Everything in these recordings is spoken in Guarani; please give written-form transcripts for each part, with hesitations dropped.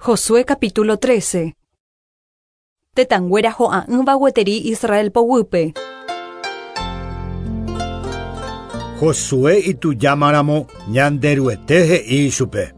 Josué capítulo 13. Tetãnguéra ho'a'ỹva gueteri Israel poguýpe. Josué itujámaramo Ñanderuete he'i ichupe.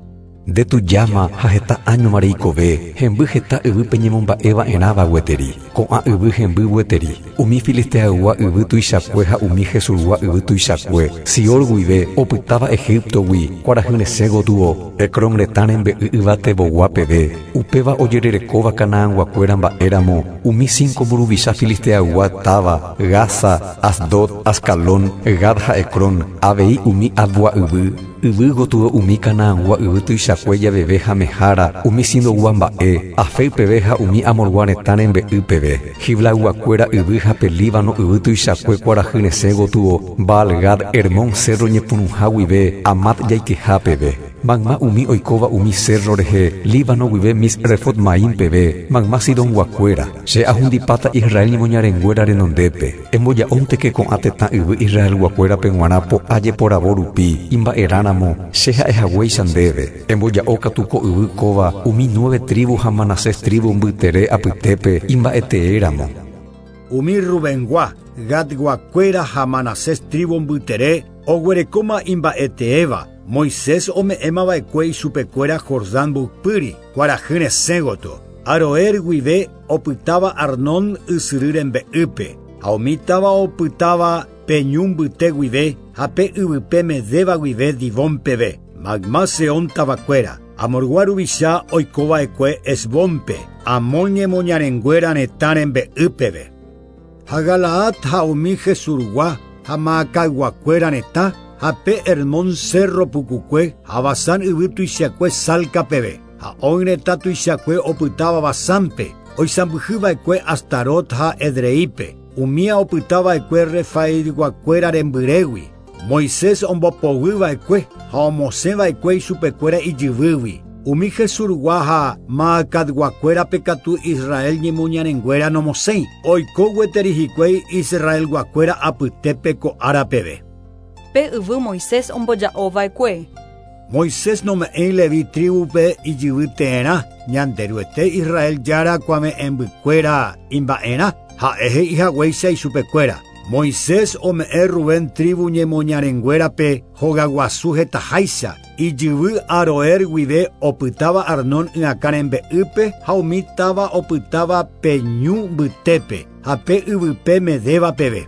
Nde tujáma ha heta áñoma reikove, hemby heta yvy peñemomba'e va'erãva gueteri. Ko'ã yvy hemby gueteri, umi Filisteaygua yvy tuichakue ha umi Gesurgua yvy tuichakue, Sior guive, opytáva Egíptogui, kuarahy resẽ gotyo, Ecrón retã rembe'y yvatevogua peve, upéva ojererekóva Canaanguakuéra mba'e ramo, umi cinco mburuvicha Filisteaygua táva, Gaza, Asdod, Ascalón, Gat ha Ecrón, avei umi Avgua yvy, Yvy gotyo umi Canaangua yvy tuichakue javeve ha Mehara, umi Sidongua mba'e, Afec peve ha umi Amorgua retã rembe'y peve, Giblayguakuéra yvy ha pe Líbano yvy tuichakue kuarahy resẽ gotyo, Baal-Gad, Hermón cérro ñepyrũha guive Amat jaikeha peve. Mayma umi oikóva umi cérro rehe, Líbano guive Misrefot-Maim peve, mayma Sidonguakuéra, Che ahundipáta Israel ñemoñarenguéra renondépe. Emboja'ónteke ko'ã tetã yvy Israelguakuérape g̃uarã po'a jeporavo rupi, imba'erã ramo, che ha'e haguéicha ndéve. Emboja'o katu ko yvy kóva umi nueve trívu ha Manasés trívu mbytere apytépe imba'etee ramo. Umi Rubengua, Gadguakuéra ha Manasés trívu mbytere oguerekóma imba'eteéva, Moisés ome'ẽma va'ekue ichupekuéra Jordán mboypýri, kuarahy resẽ gotyo. Aroer guive opytáva Arnón ysyry rembe'ýpe, ha umi táva opytáva pe ñu mbyte guive ha pe yvype Medeba guive Dibón peve, mayma Sehón tavakuéra, Amorgua ruvicha oiko va'ekue Hesbónpe, Amón ñemoñarenguéra retã rembe'y peve. Ha Galaad ha umi Gesurgua ha Maacayguakuéra retã, ha pe Hermón cérro pukukue ha Basán yvy tuichakue Salca peve. Ha Og retã tuichakue opytáva Basánpe, oisãmbyhy va'ekue Astarot ha Edreípe, umía opyta va'ekue Refaitguakuéra rembyrégui, Moisés ombopoguy va'ekue ha omosẽ va'ekue ichupekuéra ijyvýgui. Umi Gesurgua ha Maacatguakuérape katu Israel ñemoñarenguéra nomosẽi, oiko gueteri hikuái Israelguakuéra apytépe ko ára peve. Pe yvy Moisés omboja'o va'ekue. Moisés nome'ẽi Leví trívupe ijyvy teerã, Ñanderuete Israel Jára kuave'ẽmbykuéra imba'erã, ha'e he'i haguéicha ichupekuéra. Moisés ome'ẽ Rubén trívu ñemoñarenguérape hogaguasu hetaháicha, ijyvy Aroer guive opytáva Arnón ỹakã rembe'ýpe ha umi táva opytáva pe ñu mbytépe ha pe yvype Medeba peve.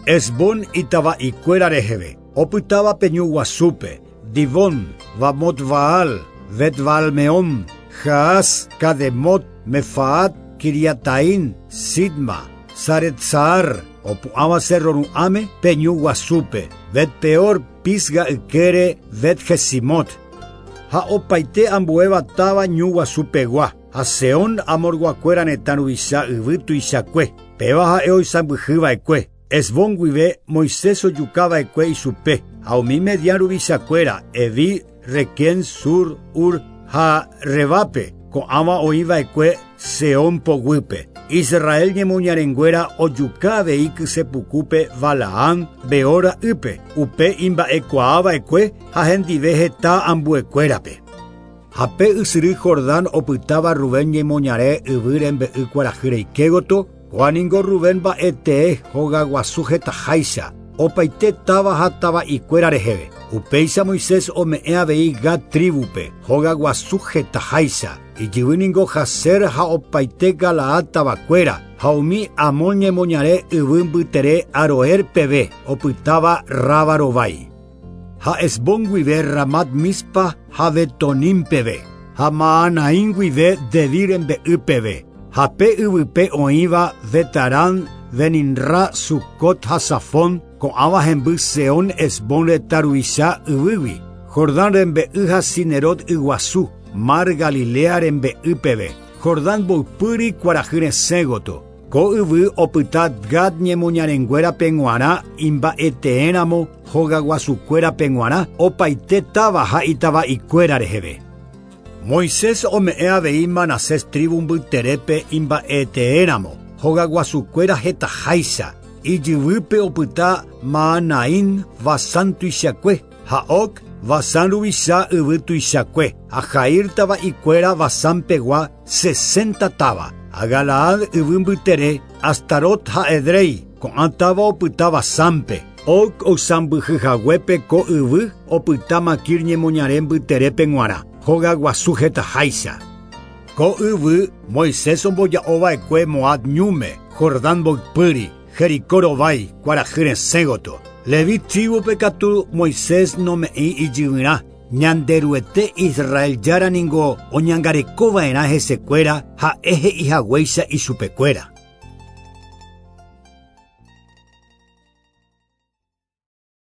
Hesbón itava'ikuéra reheve, opytáva pe ñu guasúpe, Dibón, Bamot Baal, Bet Baal-Meón, Jaaz, Cademot, Mefaat, Quiriataín, Sidma, Saret-Saar, opu'ãva Cerro Ru'ãme, pe ñu guasúpe, Bet Peor, Pisga ykére, Bet Jesimot. Ha opaite ambuéva táva ñu guasupegua, ha Sehón Amorguakuéra retã ruvicha yvy tuichakue, péva ha'e oisãmbyhy va'ekue. Hesbón guive Moisés ojuka va'ekue ichupe, ha umi Madián ruvichakuéra, Eví, Requem, Sur, Hur ha Rebápe, ko'ãva oĩ va'ekue Sehón poguýpe. Israel ñemoñarenguéra ojuka avei kysepukúpe Balaam, Beor ra'ýpe, upe imba'ekuaa va'ekue ha hendive heta ambuekuérape. Ha pe ysyry Jordán opytáva Rubén ñemoñare yvy rembe'y kuarahy reike gotyo, Kóa ningo Rubén mba'e tee hogaguasu hetaháicha, opaite táva ha tava'ikuéra reheve. Upéicha Moisés ome'ẽ avei Gad trívupe, hogaguasu hetaháicha. Ijyvy ningo Jazer ha opaite Galaad tavakuéra, ha umi Amón ñemoñare yvy mbytere Aroer peve, opytáva Raba rovái. Ha Hesbón guive Ramat Mizpa ha Betonim peve, ha Mahanaim guive Debir rembe'y peve, ha pe yvype oĩva Betarán, Beninra, Sucot ha Safón, ko'ãva hemby Sehón Hesbón retã ruvicha yvýgui, Jordán rembe'y ha Cinerot yguasu, Mar Galilea rembe'y peve, Jordán mboypýri kuarahy resẽ gotyo. Ko yvy opyta Gad ñemoñarenguérape g̃uarã imba'eteéramo hogaguasukuérape g̃uarã opaite táva ha itava'ikuéra reheve. Moisés ome'ẽ avei Manasés trívu mbyterépe imba'eteéramo hogaguasukuéra hetaháicha, ijyvýpe opyta Mahanaim, Basán tuichakue, ha Og, Basán ruvicha yvy tuichakue, ha Jair tava'ikuéra Basán-pegua 60 táva, ha Galaad yvy mbytere, Astarot ha Edrei, ko'ã táva opyta Basánpe. Og oisãmbyhyhaguépe ko yvy opyta Makir ñemoñare mbyterépe g̃uarã, hogaguasu hetaháicha. Ko yvy Moisés omboja'ova'ekue Moab ñúme, Jordán mboypýri, Jericó rovái, kuarahy resẽ gotyo. Leví tribu-pe katu Moisés nome'ẽi ijyvyrã, Ñanderuete Israel Jára ningo oñangarekova'erã hesekuéra ha'e he'ihaguéicha ichupekuéra.